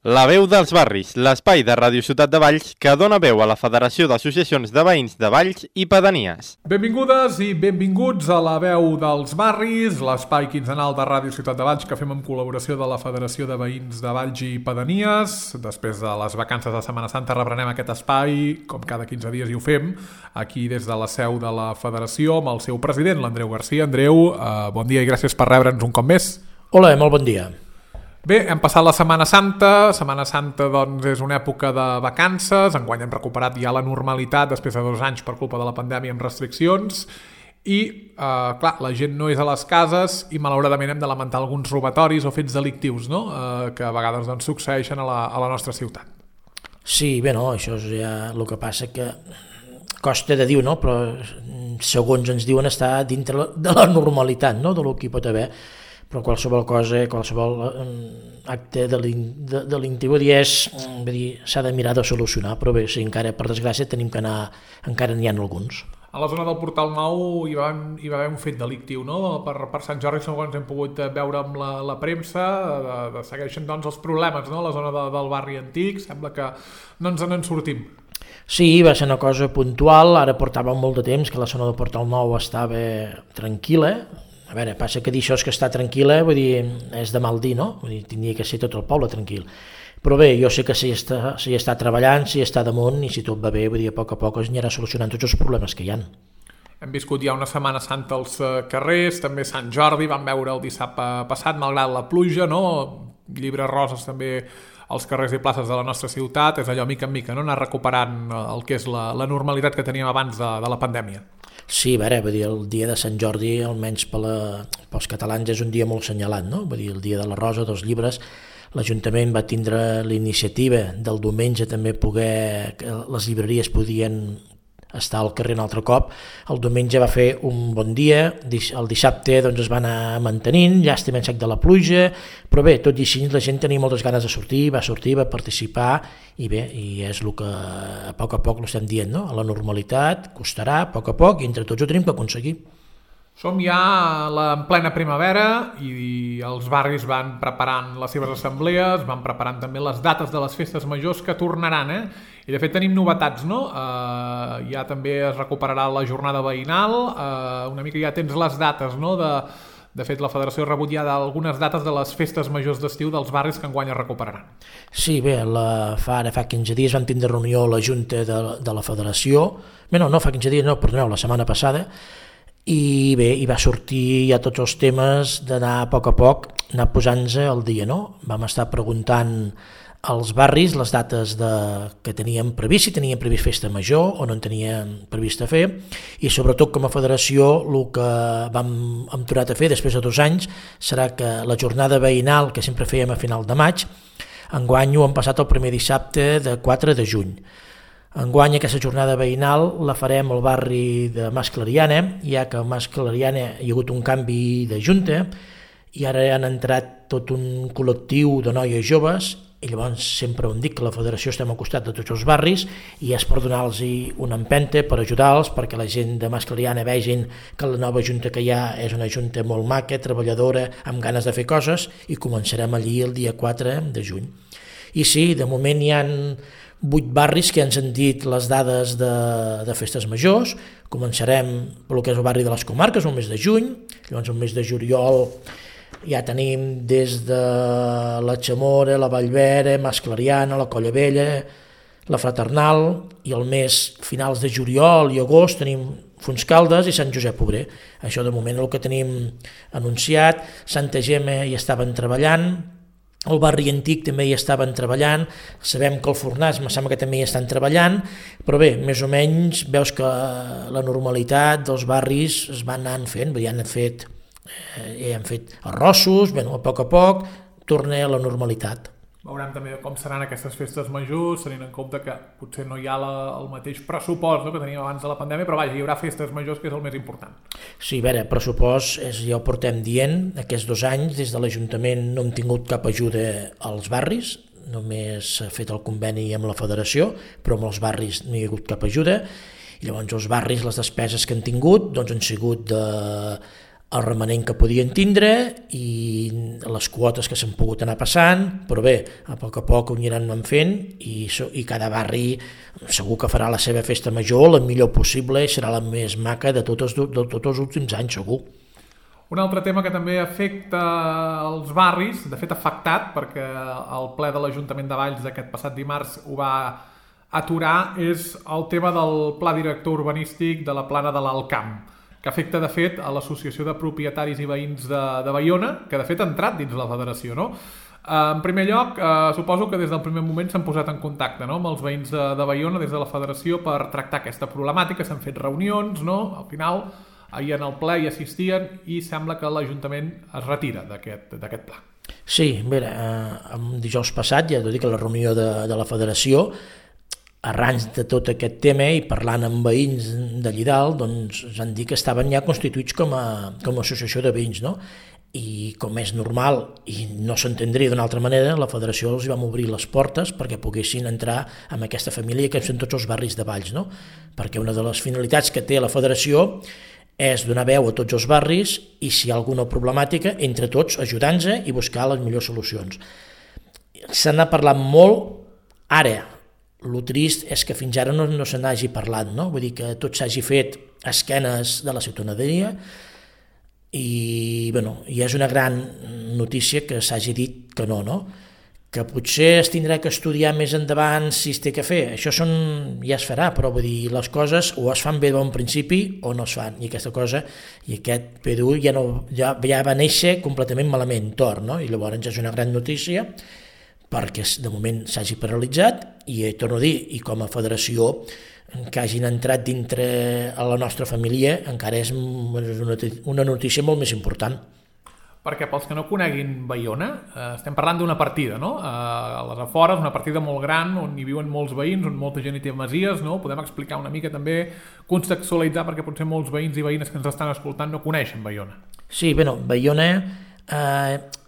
La veu dels barris, l'espai de Ràdio Ciutat de Valls que dona veu a la Federació d'Associacions de Veïns de Valls i Pedanies. Benvingudes i benvinguts a la veu dels barris, l'espai quinzenal de Ràdio Ciutat de Valls que fem en col·laboració de la Federació de Veïns de Valls i Pedanies. Després de les vacances de Setmana Santa reprenem aquest espai, com cada 15 dies i ho fem, aquí des de la seu de la Federació amb el seu president, l'Andreu Garcia. Andreu, bon dia i gràcies per rebre'ns un cop més. Hola, molt bon dia. Bé, hem passat la Setmana Santa. Setmana Santa doncs, és una època de vacances. Enguany hem recuperat ja la normalitat després de 2 anys per culpa de la pandèmia amb restriccions. I, clar, la gent no és a les cases i malauradament hem de lamentar alguns robatoris o fets delictius, no? Que a vegades doncs, succeeixen a la nostra ciutat. Sí, bé, no, això és ja el que passa que costa de dir, no? Però segons ens diuen està dintre de la normalitat, no? De lo que hi pot haver. Però qualsevol cosa, qualsevol acte delictiu s'ha de mirar de solucionar, però bé, sí, encara per desgràcia tenim que anar, encara n'hi ha alguns. A la zona del Portal Nou hi va haver un fet delictiu, no? Per Sant Jordi, segons hem pogut veure amb la premsa, segueixen doncs, els problemes, no? A la zona del barri antic, sembla que no ens en sortim. Sí, va ser una cosa puntual, ara portava molt de temps que la zona del Portal Nou estava tranquil·la. A veure, passa que dir això és que està tranquil·la, vull dir, és de mal dir, no? Vull dir, tindria que ser tot el poble tranquil. Però bé, jo sé que s'hi està treballant, s'hi està damunt, i si tot va bé, vull dir, a poc es anirà solucionant tots els problemes que hi ha. Hem viscut ja una Setmana Santa als carrers, també Sant Jordi, vam veure el dissabte passat, malgrat la pluja, no? Llibres roses també als carrers i places de la nostra ciutat, és allò mica en mica, no? Anar recuperant el que és la normalitat que teníem abans de la pandèmia. Sí, a veure, vull dir, el dia de Sant Jordi, almenys pels catalans, és un dia molt assenyalat, no? Vull dir, el dia de la rosa, dels llibres, l'Ajuntament va tindre la iniciativa del diumenge també poder, que les llibreries podien estar al carrer un altre cop. El diumenge va fer un bon dia, el dissabte doncs, es va anar mantenint, llàstima en sec de la pluja, però bé, tot i així la gent tenia moltes ganes de sortir, va participar, i bé, i és el que a poc l'estem dient, no? A la normalitat costarà a poc, i entre tots ho tenim que aconseguir. Som ja en plena primavera i els barris van preparant les seves assemblees, van preparant també les dates de les festes majors que tornaran, I de fet tenim novetats, no? Ja també es recuperarà la jornada veïnal, una mica ja tens les dates, no? De fet, la Federació ha rebut ja algunes dates de les festes majors d'estiu dels barris que enguany es recuperaran. Sí, bé, fa 15 dies vam tindre reunió a la Junta de la Federació, no fa 15 dies, perdoneu, la setmana passada, i bé, hi va sortir ja tots els temes d'anar a poc, anar posant-se al dia, no? Vam estar preguntant als barris les dates que teníem previst, si teníem previst festa major o no en teníem previst a fer, i sobretot com a federació el que hem tornat a fer després de 2 anys serà que la jornada veïnal que sempre fèiem a final de maig, enguany ho hem passat el primer dissabte de 4 de juny. Enguany aquesta jornada veïnal la farem al barri de Mas Clariana, ja que a Mas Clariana hi ha hagut un canvi de junta i ara han entrat tot un col·lectiu de noies joves, i llavors sempre ho dic que la federació estem al costat de tots els barris i és per donar-los una empenta, per ajudar-los, perquè la gent de Mas Clariana vegin que la nova junta que hi ha és una junta molt maca, treballadora, amb ganes de fer coses, i començarem allí el dia 4 de juny. I sí, de moment hi ha 8 barris que han sentit les dades de festes majors. Començarem pel que és el barri de les Comarques, el mes de juny, llavors el mes de juliol ja tenim des de la Chamora, la Vallvera, Mas Clariana, la Colla Vella, la Fraternal, i el mes finals de juliol i agost tenim Fontscaldes i Sant Josep Obrer. Això de moment és el que tenim anunciat. Santa Gemma hi estaven treballant, el barri antic també hi estaven treballant, sabem que el Fornàs em sembla que també hi estan treballant, però bé, més o menys veus que la normalitat dels barris es van anant fent, ja han fet arrossos, a poc torna a la normalitat. Veurem també com seran aquestes festes majors, tenint en compte que potser no hi ha el mateix pressupost, no, que teníem abans de la pandèmia, però vaja, hi haurà festes majors, que és el més important. Sí, a veure, pressupost, ja ho portem dient, aquests 2 anys des de l'Ajuntament no hem tingut cap ajuda als barris, només s'ha fet el conveni amb la federació, però amb els barris no hi ha hagut cap ajuda, i llavors els barris, les despeses que han tingut, doncs han sigut el remanent que podien tindre i les quotes que s'han pogut anar passant, però bé, a poc ho aniran fent i cada barri segur que farà la seva festa major la millor possible i serà la més maca de tots els últims anys, segur. Un altre tema que també afecta els barris, de fet afectat, perquè el ple de l'Ajuntament de Valls d'aquest passat dimarts ho va aturar, és el tema del pla director urbanístic de la plana de l'Alt Camp, que afecta, de fet, a l'Associació de Propietaris i Veïns de Baiona, que, de fet, ha entrat dins la federació, no? En primer lloc, suposo que des del primer moment s'han posat en contacte, no?, amb els veïns de Baiona des de la federació per tractar aquesta problemàtica, s'han fet reunions, no?, al final ahir en el ple hi assistien i sembla que l'Ajuntament es retira d'aquest pla. Sí, bé, dijous passat, ja t'ho dic, a la reunió de la federació, arran de tot aquest tema i parlant amb veïns d'allí dalt, doncs ens han dit que estaven ja constituïts com a associació de veïns, no? I com és normal i no s'entendria d'una altra manera, la federació els vam obrir les portes perquè poguessin entrar en aquesta família que són tots els barris de Valls, no? Perquè una de les finalitats que té la federació és donar veu a tots els barris i si hi ha alguna problemàtica, entre tots ajudant-se i buscar les millors solucions. Se n'ha parlat molt, ara, el trist és que fins ara no se n'hagi parlat, no? Vull dir que tot s'hagi fet a esquenes de la ciutadania i, bueno, i és una gran notícia que s'hagi dit que no, no? Que potser es tindrà que estudiar més endavant si es té que fer, això ja es farà, però vull dir, les coses o es fan bé de bon principi o no es fan, i aquesta cosa, i aquest PDU ja va néixer completament malament, tort, no? I llavors és una gran notícia perquè de moment s'hagi paralitzat i torno a dir, i com a federació que hagin entrat dintre a la nostra família encara és una notícia molt més important. Perquè pels que no coneguin Baiona, estem parlant d'una partida, no? A les afores, una partida molt gran on hi viuen molts veïns, on molta gent hi té masies, no? Podem explicar una mica també, contextualitzar, perquè potser molts veïns i veïnes que ens estan escoltant no coneixen Baiona. Sí, bé, Baiona,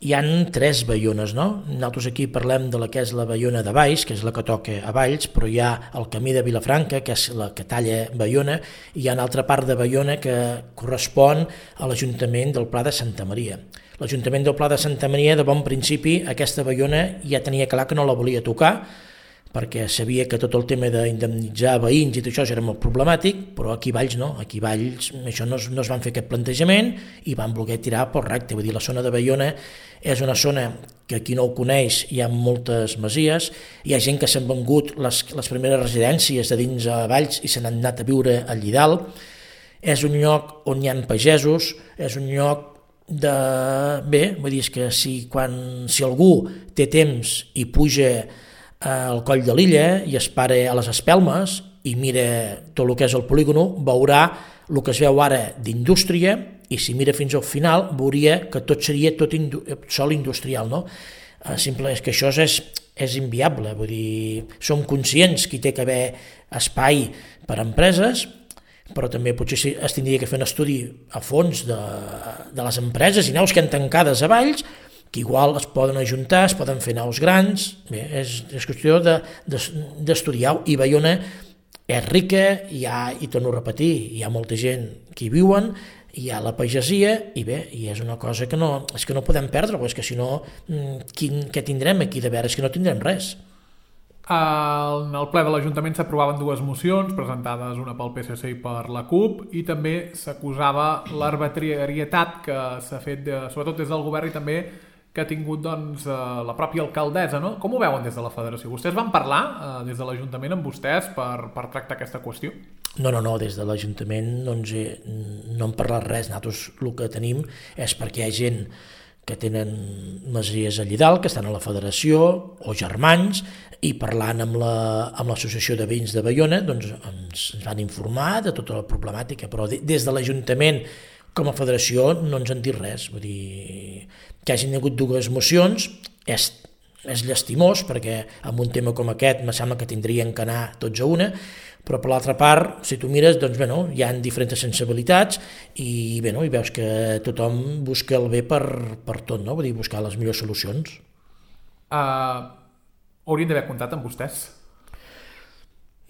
hi ha 3 Baiones, no? Nosaltres aquí parlem de la que és la Baiona de Valls, que és la que toca a Valls, però hi ha el camí de Vilafranca, que és la que talla Baiona, i hi ha una altra part de Baiona que correspon a l'Ajuntament del Pla de Santa Maria. L'Ajuntament del Pla de Santa Maria, de bon principi, aquesta Baiona ja tenia clar que no la volia tocar, perquè sabia que tot el tema d'indemnitzar veïns i tot això era molt problemàtic, però aquí a Valls no, aquí a Valls això no es van fer aquest plantejament i van voler tirar pel recte. Vull dir, la zona de Baiona és una zona que qui no ho coneix hi ha moltes masies, hi ha gent que s'han vengut les primeres residències de dins a Valls i se n'han anat a viure allí dalt, és un lloc on hi ha pagesos, és un lloc bé, vull dir, és que si algú té temps i puja al coll de l'illa i es para a les espelmes i mira tot el que és el polígono, veurà el que es veu ara d'indústria i si mira fins al final veuria que tot seria sol industrial, no? Simple és que això és inviable, vull dir, som conscients que hi té que haver espai per a empreses, però també potser es tindria que fer un estudi a fons de les empreses i naus que han tancades a Valls, que igual es poden ajuntar, es poden fer naus grans, bé, és qüestió d'estudiar-ho, i Baiona és rica, i torno a repetir, hi ha molta gent que hi viuen, hi ha la pagesia, i bé, i és una cosa que no podem perdre, és que si no, què tindrem aquí de veure? És que no tindrem res. En el ple de l'Ajuntament s'aprovaven 2 mocions, presentades una pel PSC i per la CUP, i també s'acusava l'arbitrarietat que s'ha fet, sobretot des del govern i també que ha tingut doncs, la pròpia alcaldessa, no? Com ho veuen des de la federació? Vostès van parlar des de l'Ajuntament amb vostès per tractar aquesta qüestió? No, des de l'Ajuntament no hem parlat res. Nosaltres el que tenim és perquè hi ha gent que tenen masies allí dalt, que estan a la federació, o germans, i parlant amb l'associació de veïns de Baiona, doncs ens van informar de tota la problemàtica, però des de l'Ajuntament com a federació no ens han dit res. Vull dir, que hagin hagut 2 mocions és llastimós, perquè en un tema com aquest me sembla que tindrien que anar tots a una, però per l'altra part, si tu mires, doncs hi ha diferents sensibilitats i veus que tothom busca el bé per tot, no? Vull dir, buscar les millors solucions. Haurien d'haver comptat amb vostès?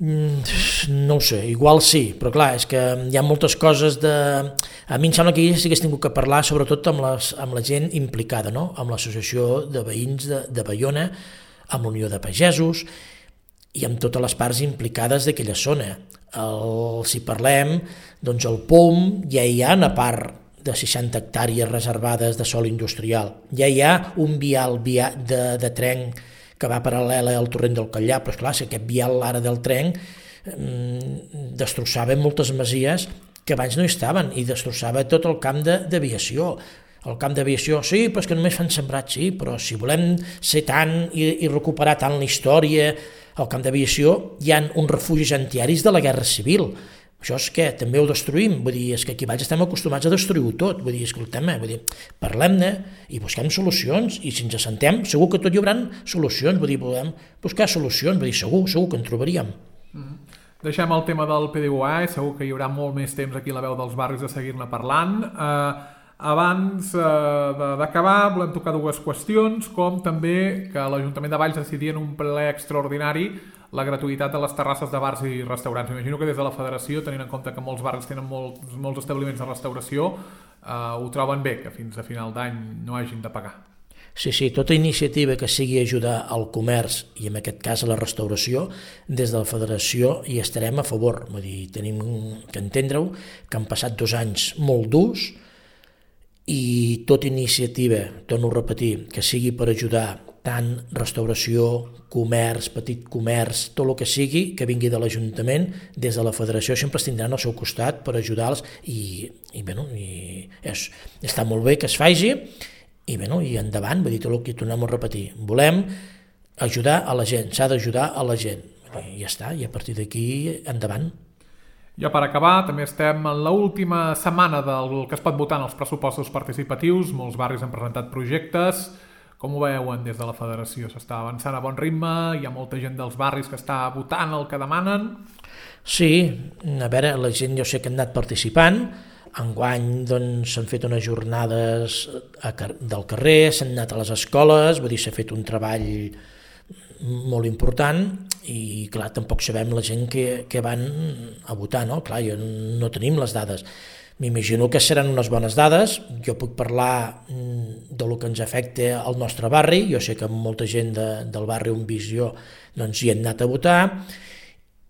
No ho sé, igual sí, però clar, és que hi ha moltes coses de... A mi em sembla que sí que hagués tingut que parlar sobretot amb la gent implicada, no? Amb l'associació de veïns de Baiona, amb l'Unió de Pagesos i amb totes les parts implicades d'aquella zona. Si parlem, doncs el POM ja hi ha una part de 60 hectàrees reservades de sòl industrial, ja hi ha un vial de tren que va paral·lela al torrent del Catllà, però esclar, si aquest vial ara del tren destrossava moltes masies que abans no hi estaven i destrossava tot el camp d'aviació. El camp d'aviació, sí, però és que només fan sembrats, sí, però si volem ser tant i recuperar tant la història, al camp d'aviació hi ha uns refugis antiaris de la Guerra Civil. Això és que també ho destruïm, vull dir, és que aquí baix estem acostumats a destruir-ho tot, vull dir, escoltem, parlem-ne i busquem solucions, i si ens assentem segur que tot hi haurà solucions, vull dir, podem buscar solucions, vull dir, segur que en trobaríem. Deixem el tema del PDUA, segur que hi haurà molt més temps aquí a la veu dels barris de seguir-ne parlant. Abans d'acabar, volem tocar dues qüestions, com també que l'Ajuntament de Valls decidia en un ple extraordinari la gratuïtat de les terrasses de bars i restaurants. M'imagino que des de la Federació, tenint en compte que molts barris tenen molts establiments de restauració, ho troben bé, que fins a final d'any no hagin de pagar. Sí, tota iniciativa que sigui ajudar al comerç i en aquest cas a la restauració, des de la Federació hi estarem a favor. Vull dir, tenim que entendre-ho, que han passat 2 anys molt durs i tota iniciativa, torno a repetir, que sigui per ajudar tant restauració, comerç, petit comerç, tot el que sigui, que vingui de l'Ajuntament, des de la Federació sempre es tindran al seu costat per ajudar-los i està molt bé que es faci i endavant, vull dir, tot el que tornem a repetir. Volem ajudar a la gent, s'ha d'ajudar a la gent. I ja està, i a partir d'aquí endavant. Ja per acabar, també estem en l'última setmana del que es pot votar en els pressupostos participatius, molts barris han presentat projectes. Com ho veuen des de la Federació? S'està avançant a bon ritme? Hi ha molta gent dels barris que està votant el que demanen? Sí, a veure, la gent jo sé que han anat participant. Enguany doncs, s'han fet unes jornades del carrer, s'han anat a les escoles, vull dir, s'ha fet un treball molt important i clar, tampoc sabem la gent que van a votar, no? Clar, no tenim les dades. M'imagino que seran unes bones dades, jo puc parlar del que ens afecta al nostre barri, jo sé que molta gent del barri On Visió doncs, hi han anat a votar,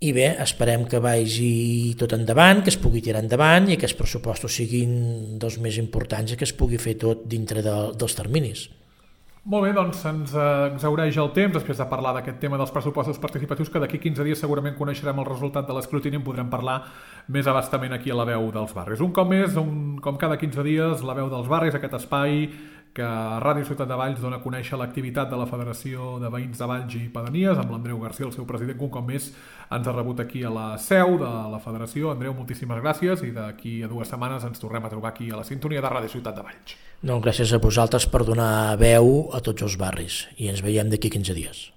i bé, esperem que vagi tot endavant, que es pugui tirar endavant i que els pressupostos siguin dels més importants i que es pugui fer tot dintre dels terminis. Molt bé, doncs se'ns exhaureix el temps després de parlar d'aquest tema dels pressupostos participatius, que d'aquí 15 dies segurament coneixerem el resultat de l'escrutini i en podrem parlar més abastament aquí a la veu dels barris. Un cop més, com cada 15 dies, la veu dels barris, aquest espai que a Ràdio Ciutat de Valls dona a conèixer l'activitat de la Federació de Veïns de Valls i Pedanies, amb l'Andreu García, el seu president, que un cop més ens ha rebut aquí a la seu de la Federació. Andreu, moltíssimes gràcies i d'aquí a 2 setmanes ens tornem a trobar aquí a la sintonia de Ràdio Ciutat de Valls. Gràcies a vosaltres per donar veu a tots els barris i ens veiem d'aquí 15 dies.